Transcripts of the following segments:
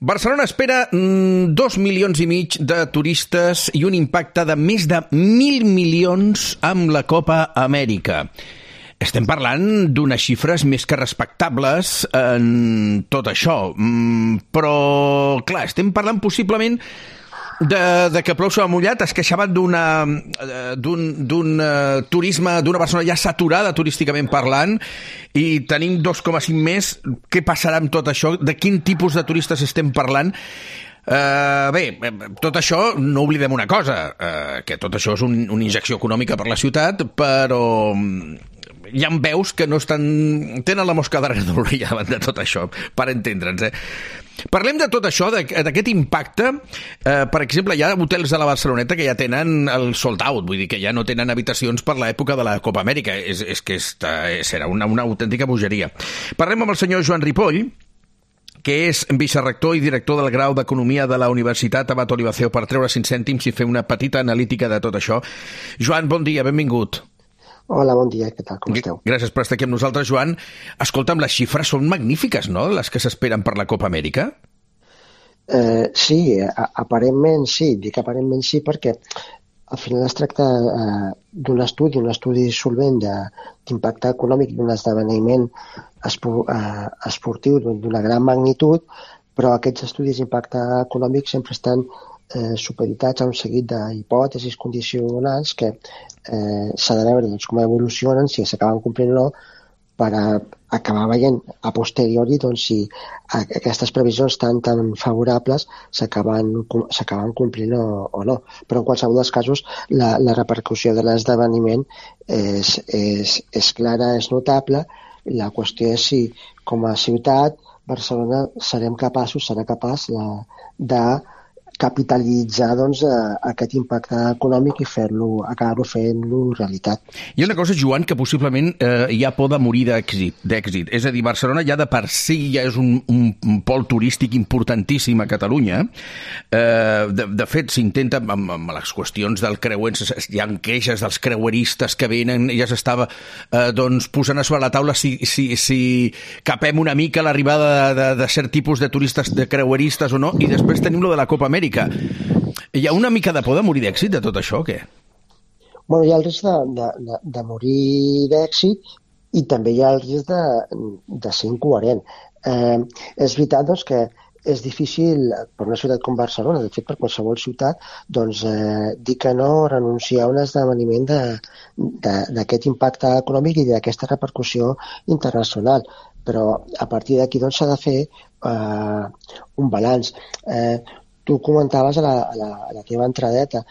Barcelona espera 2,5 milions de turistes i un impacte de més de 1.000 milions amb la Copa Amèrica. Estem parlant d'unes xifres més que respectables en tot això, però, clar, estem parlant possiblement de que plou sobre mullat. Es queixaven d'un turisme, d'una Barcelona ja saturada turísticament parlant, i tenim 2,5 més. Què passarà amb tot això? De quin tipus de turistes estem parlant? Bé, tot això, no oblidem una cosa, que tot això és una injecció econòmica per la ciutat, però hi ha veus que no tenen la mosca darrere de l'orella davant de tot això, per entendre'ns. Parlem de tot això, d'aquest impacte. Per exemple, hi ha hotels de la Barceloneta que ja tenen el sold out, vull dir que ja no tenen habitacions per l'època de la Copa Amèrica. És que serà una autèntica bogeria. Parlem amb el senyor Joan Ripoll, que és vicerector i director del grau d'Economia de la Universitat Abat Olivaceo, per treure 5 cèntims i fer una petita analítica de tot això. Joan, bon dia, benvingut. Hola, bon dia, què tal, com esteu? Gràcies per estar aquí amb nosaltres, Joan. Escolta'm, les xifres són magnífiques, no?, les que s'esperen per la Copa Amèrica? Sí, aparentment sí. Dic aparentment sí perquè al final es tracta d'un estudi solvent d'impacte econòmic d'un esdeveniment esportiu d'una gran magnitud, però aquests estudis d'impacte econòmic sempre estan supeditats a un seguit d'hipòtesis condicionants que s'ha de veure com evolucionen, si s'acaben complint o no, per acabar veient a posteriori si aquestes previsions tan favorables s'acaben complint o no. Però en qualsevol dels casos la repercussió de l'esdeveniment és clara, és notable. La qüestió és si com a ciutat Barcelona serà capaç de capitalitzar aquest impacte econòmic i acabar-lo fent-lo realitat. Hi ha una cosa, Joan, que possiblement hi ha por de morir d'èxit. És a dir, Barcelona ja de per si ja és un pol turístic importantíssim a Catalunya. De fet, s'intenta, amb les qüestions del creuer, hi ha queixes dels creueristes que venen, ja s'estava posant a sobre la taula si capem una mica l'arribada de cert tipus de turistes, de creueristes o no, i després tenim lo de la Copa Amèrica. Hi ha una mica de por de morir d'èxit de tot això, o què? Bueno, hi ha el risc de morir d'èxit i també hi ha el risc de ser incoherent. És veritat que és difícil per una ciutat com Barcelona, de fet per qualsevol ciutat, dir que no, renunciar a un esdeveniment d'aquest impacte econòmic i d'aquesta repercussió internacional. Però a partir d'aquí s'ha de fer un balanç. Tu comentaves a la teva entradeta,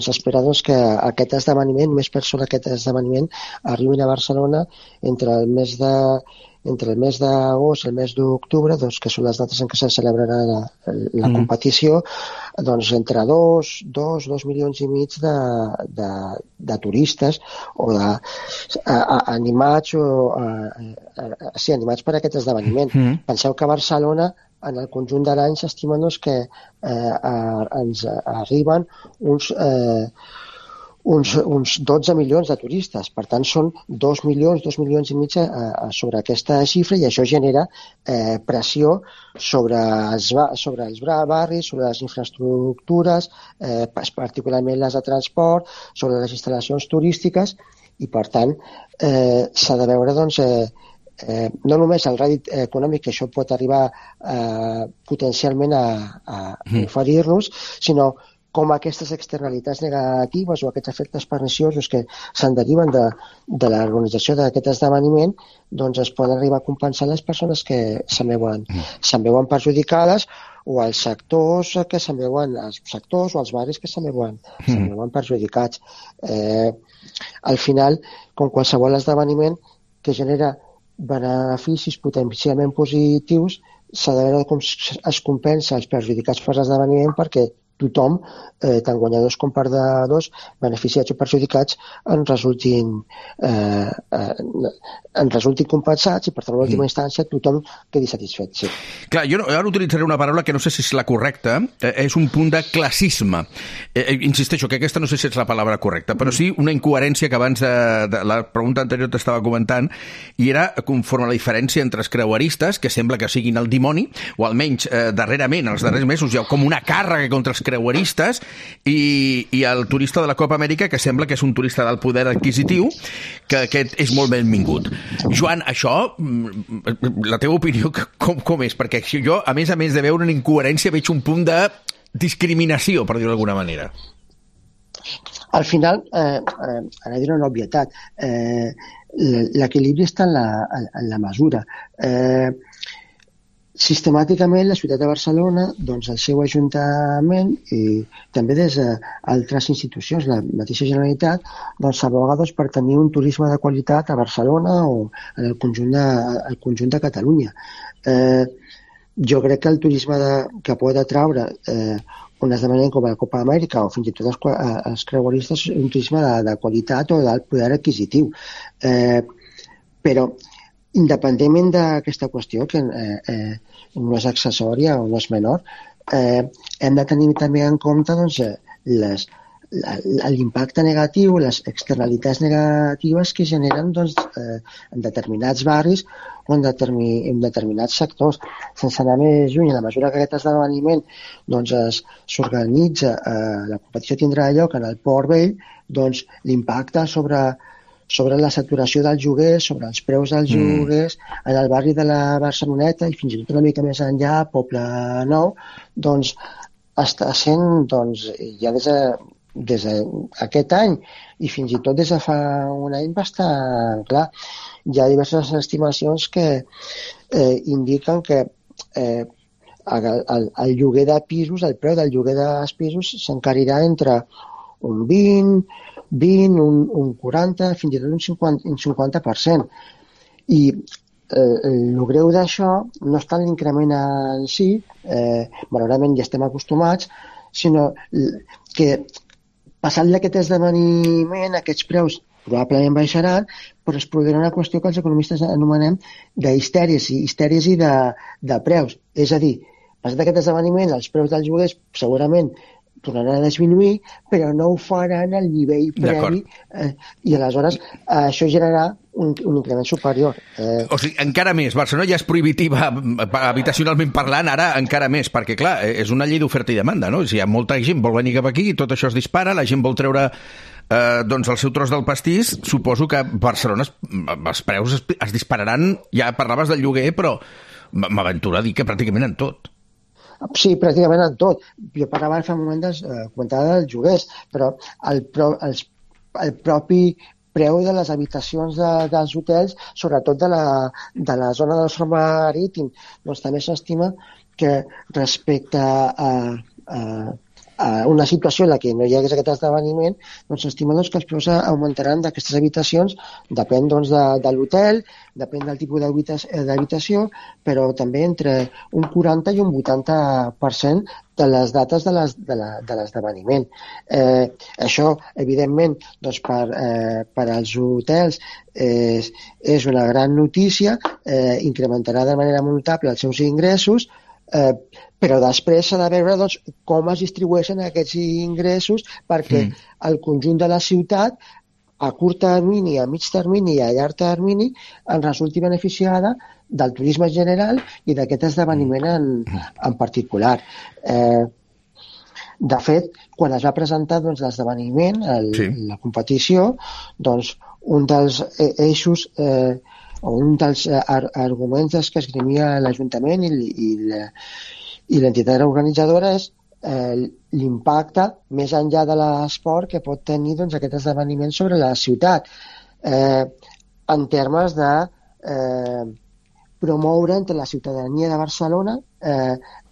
s'espera que aquest esdeveniment, més per sobre aquest esdeveniment, arribin a Barcelona entre el mes d'agost i el mes d'octubre, que són les dates en què se celebrarà la competició, entre 2 milions i mig de turistes o animats per aquest esdeveniment. Penseu que a Barcelona en el conjunt de l'any s'estimen que ens arriben uns 12 milions de turistes. Per tant, són 2 milions i mig sobre aquesta xifra, i això genera pressió sobre els barris, sobre les infraestructures, particularment les de transport, sobre les instal·lacions turístiques, i per tant s'ha de veure no només el rèdit econòmic que això pot arribar potencialment a oferir-nos, sinó com aquestes externalitats negatives o aquests efectes perniciosos que se'n deriven de l'organització d'aquest esdeveniment es poden arribar a compensar les persones que se'n veuen perjudicades, o els sectors o els barris que se'n veuen perjudicats. Al final, com qualsevol esdeveniment que genera beneficis potencialment positius, s'ha de veure com es compensa els perjudicats per l'esdeveniment, perquè tothom, tant guanyadors com perdedors, beneficiats o perjudicats, en resultin compensats i, per tant, en última instància, tothom quedi satisfet. Sí. Clar, jo ara utilitzaré una paraula que no sé si és la correcta, és un punt de classisme. Insisteixo que aquesta no sé si és la paraula correcta, però sí una incoherència que abans de la pregunta anterior t'estava comentant, i era conforme a la diferència entre els creueristes, que sembla que siguin el dimoni, o almenys darrerament, els darrers mesos, hi ha com una càrrega contra els creueristes, i el turista de la Copa Amèrica, que sembla que és un turista del poder adquisitiu, que aquest és molt benvingut. Joan, això, la teva opinió, com és? Perquè jo, a més de veure una incoherència, veig un punt de discriminació, per dir-ho d'alguna manera. Al final, ara diré una obvietat, l'equilibri està en la mesura. Sistemàticament, la ciutat de Barcelona, doncs el seu Ajuntament i també des d'altres institucions, la mateixa Generalitat, doncs s'aboga per tenir un turisme de qualitat a Barcelona o en el conjunt de Catalunya. Jo crec que el turisme que pot atraure un esdeveniment com la Copa Amèrica o fins i tot els creueristes és un turisme de qualitat o d'alt poder adquisitiu. Però independentment d'aquesta qüestió, que no és accessòria o no és menor, hem de tenir també en compte doncs, l'impacte negatiu, les externalitats negatives que generen doncs, en determinats barris o en determinats sectors. Sense anar més lluny, a la mesura que aquest esdeveniment doncs, s'organitza, la competició tindrà lloc en el Port Vell, doncs, l'impacte sobre la saturació dels lloguers, sobre els preus dels lloguers, en el barri de la Barceloneta i fins i tot una mica més enllà, Poble Nou, doncs està sent, doncs, ja des d'aquest any i fins i tot des de fa un any bastant clar. Hi ha diverses estimacions que indiquen que el lloguer de pisos, el preu del lloguer dels pisos s'encarirà entre un 20, un 40, fins i tot un 50%. I el greu d'això no està en l'increment en si, malauradament ja estem acostumats, sinó que passant d'aquest esdeveniment, aquests preus probablement baixaran, però es produirà una qüestió que els economistes anomenem d'histèries i de preus. És a dir, passat aquest esdeveniment, els preus dels lloguers segurament tornaran a disminuir, però no ho faran al nivell previ i aleshores això generarà un increment superior. O sigui, encara més. Barcelona ja és prohibitiva habitacionalment parlant, ara encara més, perquè clar, és una llei d'oferta i demanda, no? Si hi ha molta gent vol venir cap aquí, tot això es dispara, la gent vol treure doncs el seu tros del pastís, suposo que a Barcelona els preus es dispararan, ja parlaves del lloguer, però m'aventuro a dir que pràcticament en tot. Sí, pràcticament en tot. Jo parlava fa un moment comentava dels lloguers, però el propi preu de les habitacions dels hotels, sobretot de la zona del front marítim, doncs també s'estima que respecte a una situació en la que no hi hagués aquest esdeveniment, doncs s'estima que els preus augmentaran d'aquestes habitacions, depèn doncs, de l'hotel, depèn del tipus d'habitació, però també entre un 40 i un 80% de les dates de l'esdeveniment. Això, evidentment, doncs, per als hotels és una gran notícia, incrementarà de manera molt notable els seus ingressos, però després s'ha de veure doncs, com es distribueixen aquests ingressos perquè el conjunt de la ciutat a curt termini, a mig termini i a llarg termini en resulti beneficiada del turisme general i d'aquest esdeveniment en particular. De fet, quan es va presentar doncs, l'esdeveniment, la competició, doncs, un dels eixos o un dels arguments que esgrimia l'Ajuntament i l'entitat organitzadora és l'impacte més enllà de l'esport que pot tenir doncs, aquest esdeveniment sobre la ciutat en termes de promoure entre la ciutadania de Barcelona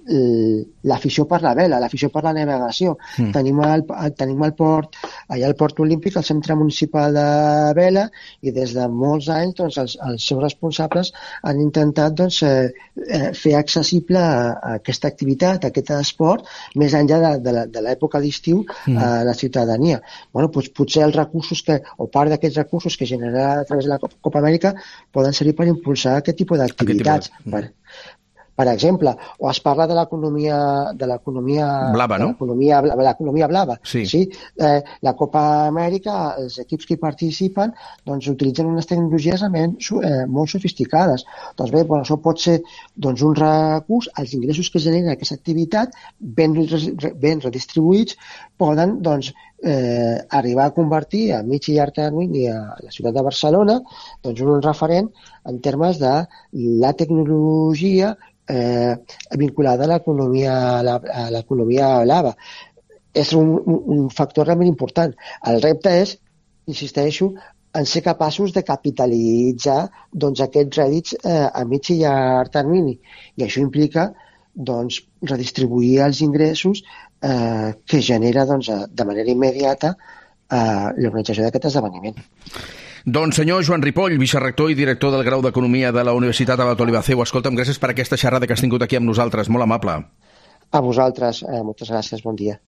l'afició per la vela, l'afició per la navegació. Tenim el port, allà al Port Olímpic, el Centre Municipal de Vela, i des de molts anys doncs, els seus responsables han intentat doncs, fer accessible aquesta activitat, aquest esport, més enllà de l'època d'estiu a la ciutadania. Bueno, doncs, potser els recursos o part d'aquests recursos que generarà a través de la Copa Amèrica poden servir per impulsar aquest tipus d'activitats. Per exemple, o es parla de l'economia blava, no? L'economia blava. Sí. Sí? La Copa Amèrica, els equips que hi participen doncs, utilitzen unes tecnologies molt sofisticades. Doncs bé, això pot ser doncs, un recurs, els ingressos que genera aquesta activitat, ben redistribuïts, poden doncs, arribar a convertir a mig i llarg termini a la ciutat de Barcelona doncs, un referent en termes de la tecnologia vinculada a l'economia blava. És un factor realment important. El repte és, insisteixo, en ser capaços de capitalitzar doncs, aquests rèdits a mig i llarg termini. I això implica doncs, redistribuir els ingressos que genera doncs, de manera immediata l'organització d'aquest esdeveniment. Doncs senyor Joan Ripoll, vicerrector i director del grau d'Economia de la Universitat Abat Olivacer, escolta'm, gràcies per aquesta xerrada que has tingut aquí amb nosaltres, molt amable. A vosaltres, moltes gràcies, bon dia.